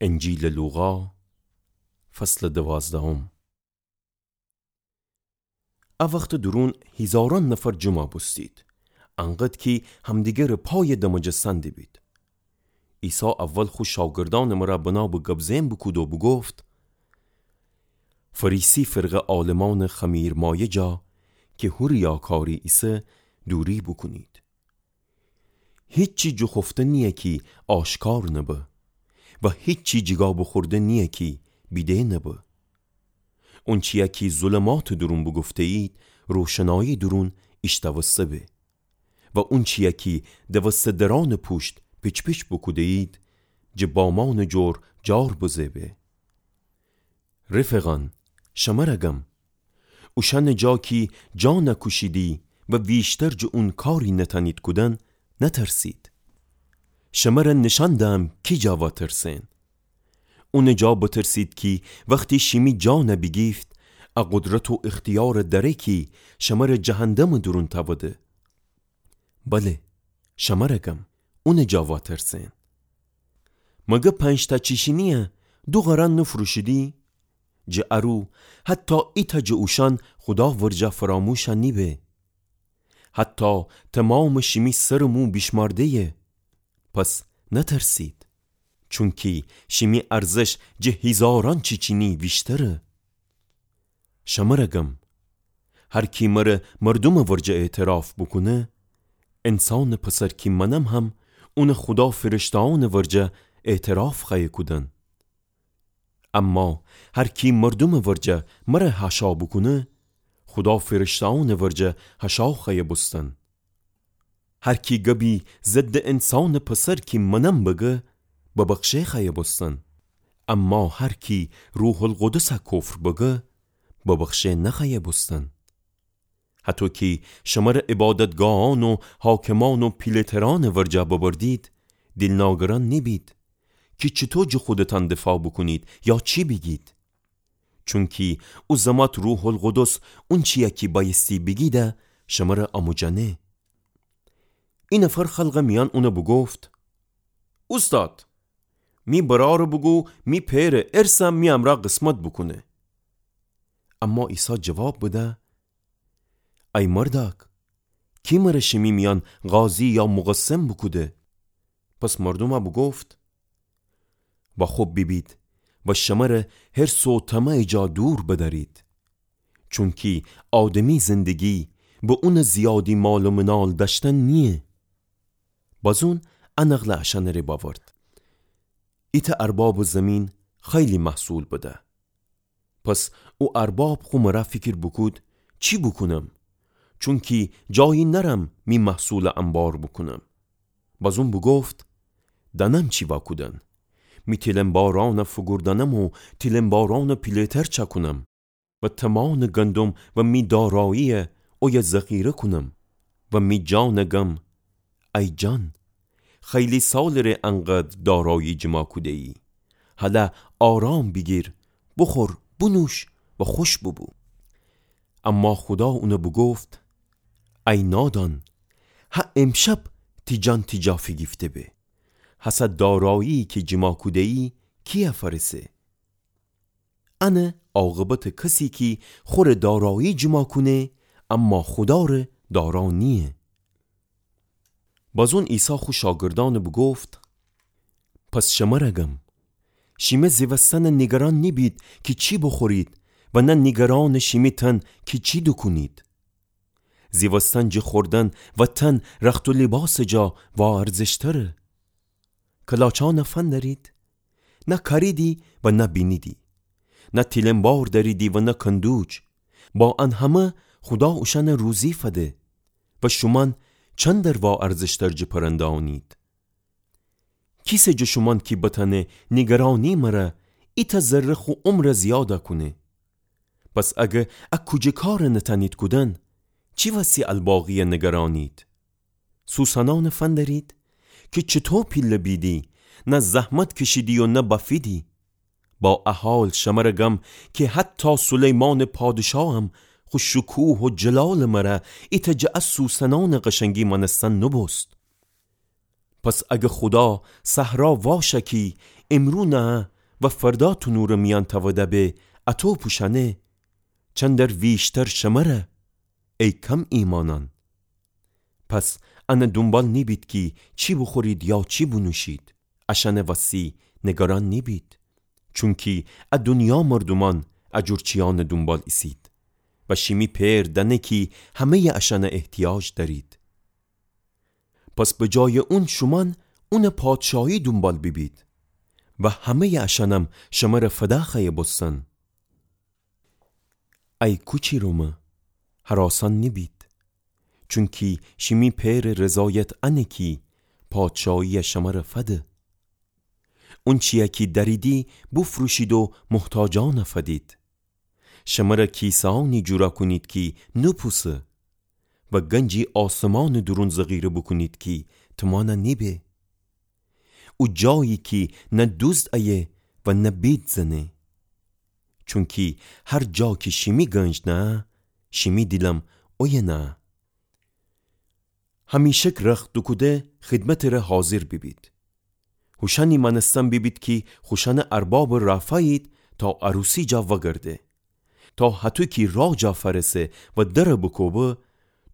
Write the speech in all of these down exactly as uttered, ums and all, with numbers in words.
انجیلٚ لوقا، فصلٚ دوازدهم. ا وختٚ دورون هیزارأن نفر جمع بوستید، انقدر کی همدیگرٚ پایٚ دمجه سندٚ بید. عیسی اول خو شاگردأنٚ مرأ بنابٚ گب زئن بوکود و بوگفت: فریسی فرقه عالمأنٚ خمیرمایه جا کی هو ریاکاری ایسه دوری بوکونید. هیچی جوخوفته نییه کی آشکار نبه و هیچی جیگا بوخورده نییه کی بیده نبه. اونچیی کی ظلماتٚ دورون بوگفته‌یید، روشنایی دورون ایشتاوسته به و اونچیی کی دوسته درأنٚ پوشت پیچ‌پیچ بوکوده‌یید، جٚه بامأنٚ جور جار بزه به. رفقان، شمرأ گم، اوشأنٚ جا کی جان کوشیدی و ویشتر جٚه اون کاری نتأنید کودن، نترسید. شمرأ نیشأن دهم کی جا وأترسئن. اونٚ جا بترسید کی وختی شیمی جان بیگیفت، ا قدرت و اختیارٚ دأره کی شمرأ جهندمٚ دورون تأوده. بله، شمرأ گم، اونٚ جا وأترسئن. مگه پنج‌تأ چیچینیی دو قرن نوفروشیدی؟ جٚه ارو حتی ایتأ جٚه اوشأن خودا ورجه فراموش نیبه. حتی تومامٚ شیمی سرٚ مو بیشمارده‌یه. پس نترسید، چونکی شیمی ارزش جٚه هیزارأن چیچینی ویشتره. شمرأ گم، هر کی مرأ مردومٚ ورجه اعتراف بوکونه، انسانٚ پسر کی منم هم، اونٚ خودا فرشته‌أنٚ ورجه اعتراف خوأیه کودن. اما هر کی مردومٚ ورجه مرأ حاشا بوکونه، خودا فرشته‌أنٚ ورجه حاشا خوأیه بوستن. هر کی گبی ضدٚ انسانٚ پسر کی منم بگه، ببخشه خوأیه بوستن. اما هر کی روح‌القدس کفر بگه، ببخشه نخوأیه بوستن. هطو کی شمرأ عبادتگاهأن و حاکمأن و پیله‌ترأنٚ ورجه ببردید، دیلناگرأن نیبید کی چوطو جٚه خودتأن دفاع بوکونید یا چی بیگید. چونکی او زمأت روح‌القدس اونچیی کی بأیستی بیگیده شمرأ آموجأنه. ای نفر خلقٚ میأن اونٚ بوگفت: اوستاد، می برأرٚ بوگو می پئرٚ ارث می امرأ قسمت بوکونه. اما عیسی جواب بده: ای مردأک، کی مرأ شیمی میأن قاضی یا مقسم بوکوده؟ پس مردومأ بوگفت: و خب بیبید و شمرأ حرص و طمعٚ جا دور بدأرید. چونکی آدمی زندگی به اونٚ زیادی مال و منال دأشتن نییه. بازون ا نقلٚ اشأنٚ ره بأورد: ایتأ اربابٚ زیمین خیلی محصول بده. پس او ارباب خو مرأ فیکر بوکود: چی بوکونم؟ چونکی جایی نأرم می محصولٚ انبار بوکونم. بازون بوگفت: دأنم چی وأکودن. می تیلنبارأنٚ فوگوردأنم و تیلنبارأنٚ پیله‌تر چأکونم و طمأنٚ گندم و می دارایی اویه ذخیره کونم و می جانٚ گم: ای جان، خیلی سالٚ ره انقدر دارایی جیما کوده‌یی. هلأ آرام بیگیر، بوخور، بونوش و خوش بوبو. اما خودا اونٚ بوگفت: ای نادان، هه امشب تی جان تی جا فیگیفته به. هسه دارایی کی جیما کوده‌یی کییه فأرسه؟ انه عاقبتٚ کسی کی خوره دارایی جیما کونه، اما خودا ره دارا نییه. بازون عیسی خو شاگردأنٚ بوگفت: پس شمرأ گم، شیمه زیوستنٚ نیگران نیبید کی چی بوخورید و نه نیگرانٚ شیمی تن کی چی دوکونید. زیوستن جٚه خوردن و تن رخت و لیباسٚ جا واارزشتره. کلاچأنٚ فندرید، نه کاریدی و نه بینیدی، نه تیلنبار دأریدی و نه کندوج. با ان همه خودا اوشأنٚ روزی فده و شومأن چندر واارزشتر جٚه پرنده‌أنید. کیسه جٚه شومأن کی بتأنه نیگرانی مره ایتأ ذره خو عمر زیاده کونه؟ پس اگر ا کوجه کار نتأنید کودن، چی وستی الباقی نیگرانید؟ سوسنأنٚ فندرید کی چوطو پیله بیدی، نه زحمت کشیدی و نه بفیدی. با ا حال شمره گم کی حتی سلیمانٚ پادشاه هم خو شکوه و جلالٚ مره ایتأ جٚه ا سوسنأنٚ قشنگی مأنستن نوبوست. پس اگر خودا صحرا واشه کی امرو نه، و فردا تنورٚ میأن تأوده به، اطو پوشأنه، چندر ویشتر شمره، ای کم ایمأنأن. پس انٚ دونبال نیبید کی چی بوخورید یا چی بونوشید. اشأنٚ وسی نگران نیبید. چونکی ا دونیا مردومأن ا جور چیأنٚ دونبال ایسید و شیمی پئر دأنه کی همه‌یٚ اشأنٚ احتیاج دأرید. پس به جایٚ اون شومأن اونٚ پادشاهی دونبال بیبید و همه‌یٚ اشأنم شمره فدا خوأیه بوستن. ای کوچی رومه، هراسأن نیبید، چونکی شیمی پئرٚ رضایت انه کی پادشاهی‌یَ شمره فده. اونچی‌یَ کی دأریدی بوفروشید و محتاجأنَ فدید. شمره کیسه‌أنی جورَ کونید کی نوپوسه و گنجی آسمانٚ دورون ذخیره بوکونید کی تومانَ نیبه. او جایی کی نه دوزد ایه و نه بید زنه. چونکی هر جا کی شیمی گنج نه‌یه، شیمی دیلم اویه نه‌یه. همیشک رخت دوکوده خدمتٚ ره حاضر بیبید. هوشأنی مأنستن بیبید کی خوشأنٚ اربابَ رافأیید تا عروسی جا وگرده. تا هطو کی راه جا فأرسه و درَ بوکوبه،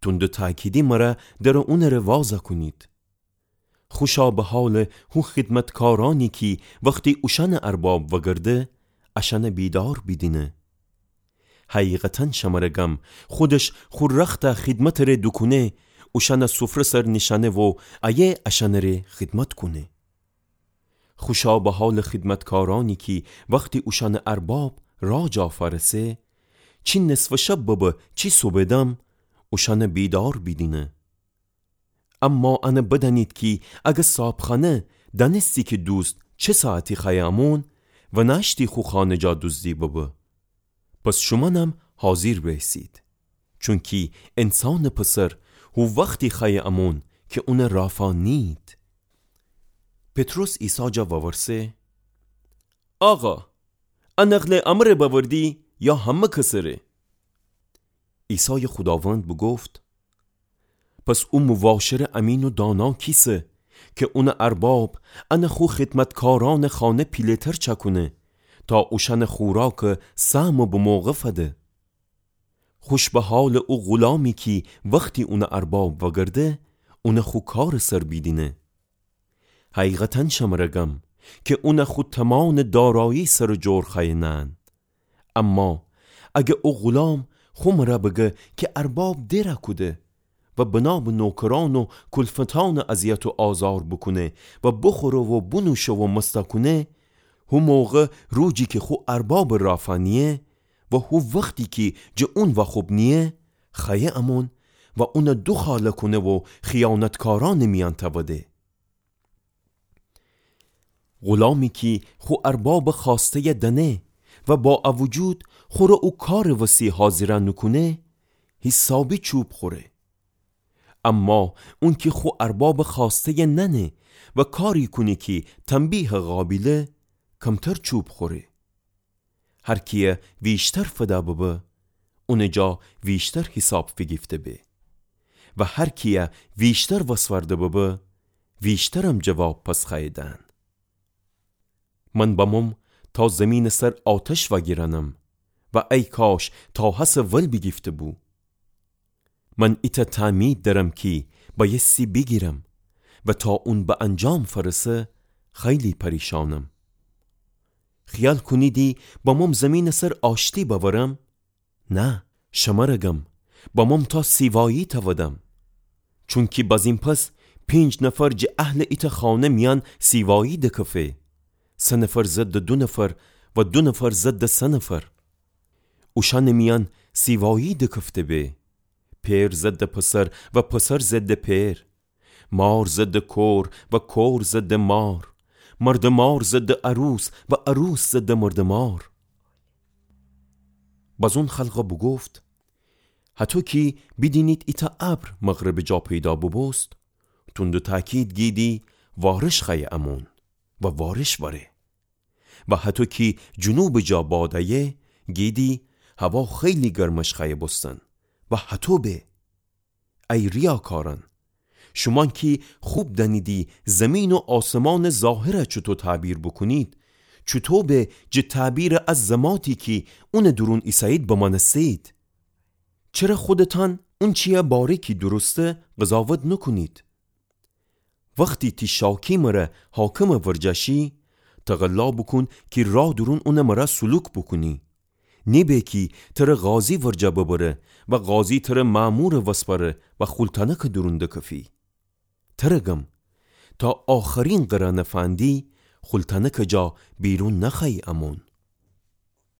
تند و تأکیدی مره درَ اونٚ ره وازَ کونید. خوشا به حالٚ هو خدمتکارأنی کی وختی اوشأنٚ ارباب وگرده، اشأنَ بیدار بیدینه. حقیقتاً شمره گم، خودش خو رختَ خدمتٚ ره دوکونه، اوشأنَ سفره سر نیشأنه و ایه اشأنٚ ره خدمت کونه. خوشا به حالٚ خدمتکارأنی کی وختی اوشأنٚ ارباب راه جا فأرسه، چی نصفٚ شب ببه چی صبحٚ دم، اوشأنَ بیدار بیدینه. اما انَ بدأنید کی اگر صابخانه دأنستی کی دوزد چه ساعتی خوأیه امون، ونأشتی خو خانه جا دوزدی ببه. پس شومأنم حاضر بیسید. چونکی انسانٚ پسر هو وختی خوأیه امون کی اونَ رافا نیید. پطرس عیسی جا وورسه: آقا، ا نقلٚ امره بأوردی یا همه کسٚ ره؟ عیسایٚ خوداوند بوگفت: پس او مباشرٚ امین و دانا کیسه کی اونٚ ارباب انَ خو خدمتکارأنٚ خانه پیله‌تر چأکونه تا اوشأنٚ خوراکَ سهمٚ بموقع فده. خوش به حالٚ او غولامی کی وختی اونٚ ارباب وگرده، اونَ خو کارٚ سر بیدینه. حقیقتاً شمره گم کی اونَ خو تومانٚ دارایی سر و جور خوأیه نهن. اما اگر او غولام خو مره بگه کی ارباب دئرَ کوده و بنا به نوکرأن و کلفتأنٚ اذیت و آزار بوکونه و بوخوره و بونوشه و مستَ کونه، هو موقع روجی کی خو اربابٚ رافا نییه و هو وختی کی جٚه اون واخوب نییه، خوأیه امون و اونَ دوخاله کونه و خیانتکارأنٚ میأن تأوده. غولامی کی خو اربابٚ خوأسته‌یَ دأنه و با ا وجود خوره او کارٚ وسی حاضرَ نوکونه، حیسابی چوب خوره. اما اون کی خو اربابٚ خوأسته‌یَ نأنه و کاری کونه کی تنبیهٚ قابیله، کمتر چوب خوره. هر کیَ ویشتر فده ببه، اونٚ جا ویشتر حیساب فیگیفته به و هر کیَ ویشتر وسورده ببه، ویشترم جواب پس خوأیه دهن. من بموم تا زیمینٚ سر آتش وأگیرأنم و ای کاش تا هسه ول بیگیفته‌بو. من ایتأ تأمید دأرم کی بأیستی بیگیرم و تا اون به انجام فأرسه خیلی پریشأنم. خیال کونیدی بموم زیمینٚ سر آشتی بأورم؟ نه، شمره گم، بموم تا سیوایی تأودم. چونکی بازین پس پنج نفر جٚه اهلٚ ایتأ خانه میأن سیوایی دکفه، سه نفر ضدٚ دو نفر و دو نفر ضدٚ سه نفر. اوشأنٚ میأن سیوایی دکفته به. پئر ضدٚ پسر و پسر ضدٚ پئر. مار ضدٚ کور و کور ضدٚ مار. مردٚ مار ضدٚ عروس و عروس ضدٚ مردٚ مار. بازون خلقَ بوگفت: هطو کی بیدینید ایتأ ابر مغربٚ جا پیدا بوبوست، تند و تأکید گیدی وارش خوأیه امون و وارش وأره. و هطو کی جنوبٚ جا باد ایه، گیدی هوا خیلی گرمش خوأیه بوستن و هطو به. ای ریاکارأن، شومأن کی خوب دأنیدی زیمین و آسمانٚ ظاهرَ چوطو تعبیر بوکونید، چوطو به جٚه تعبیرٚ ا زماتی کی اونٚ دورون ایسه‌یید بمأنسته‌یید؟ چره خودتأن اونچییٚ باره کی درسته قضاوت نوکونید؟ وختی تی شاکی مره حاکمٚ ورجه شی، تقلا بوکون کی راه دورون اونٚ مره سلوک بوکونی. نیبه کی تره قاضی ورجه ببره و قاضی تره مأمورٚ وسپأره و خولتأنکٚ دورون دکفی. تره گم، تا آخرین قرأنٚ فندی خولتأنکٚ جا بیرون نخوأیی امون.